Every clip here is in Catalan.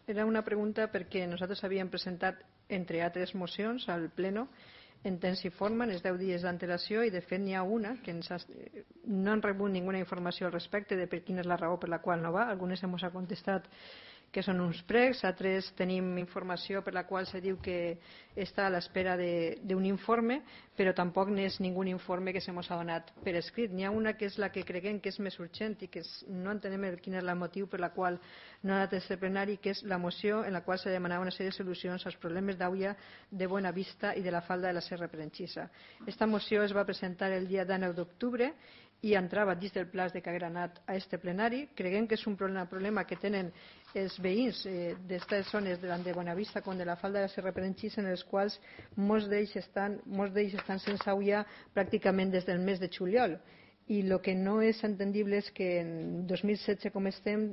Era una pregunta perquè nosaltres havíem presentat, entre altres mocions, al Pleno en temps i forma, en els 10 dies d'antelació, i de fet n'hi ha una que no han rebut ninguna informació al respecte de per quina és la raó per la qual no va. Algunes ens ha contestat que són uns precs, altres tenim informació per la qual se diu que està a l'espera d'un informe, però tampoc n'és ningú informe que se mos ha donat per escrit. N'hi ha una que és la que creguem que és més urgent i que no entenem quin és el motiu per la qual no ha anat a este plenari, que és la moció en la qual se demanava una sèrie de solucions als problemes d'aigua de Buenavista i de la falda de la Serra Perenxissa. Esta moció es va presentar el dia 19 d'octubre i entrava dins del pla de que haguera anat a este plenari. Creguem que és un problema que tenen els veïns d'aquestes zones tant de Buenavista com de la falda de la Serra Perenxissa, en els quals molts d'ells estan sense aigua pràcticament des del mes de juliol. I el que no és entendible és que en 2016, com estem,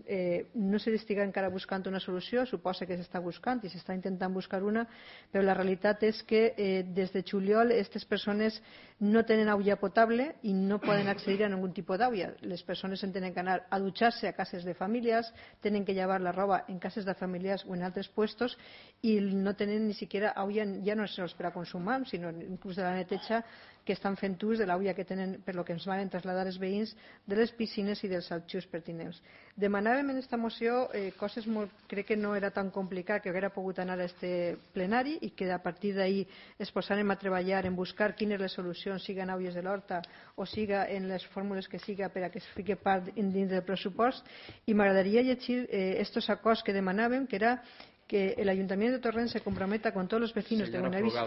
no s'estigui encara buscant una solució. Suposa que s'està buscant i s'està intentant buscar una, però la realitat és que des de juliol aquestes persones no tenen aigua potable i no poden accedir a ningun tipus d'aigua. Les persones tenen que anar a dutxar-se a cases de famílies, tenen que llevar la roba en cases de familiars o en altres puestos i no tenen ni siquiera aigua, ja no sols per a consumar, sinó inclús de la neteja, que estan fent ús de l'aigua que tenen, per lo que ens van traslladar els veïns, de les piscines i dels aljus pertinents. Demanàvem en aquesta moció coses crec que no era tan complicat que haguera pogut anar a este plenari i que a partir d'ahir es posarem a treballar en buscar quines les solucions, siga en aigües de l'Horta o siga en les fórmules que siga per a que es fiqui part dins del pressupost. I m'agradaria llegir estos acords que demanàvem, que era que el Ayuntamiento de Torrent se comprometa con todos los vecinos de Buenavista.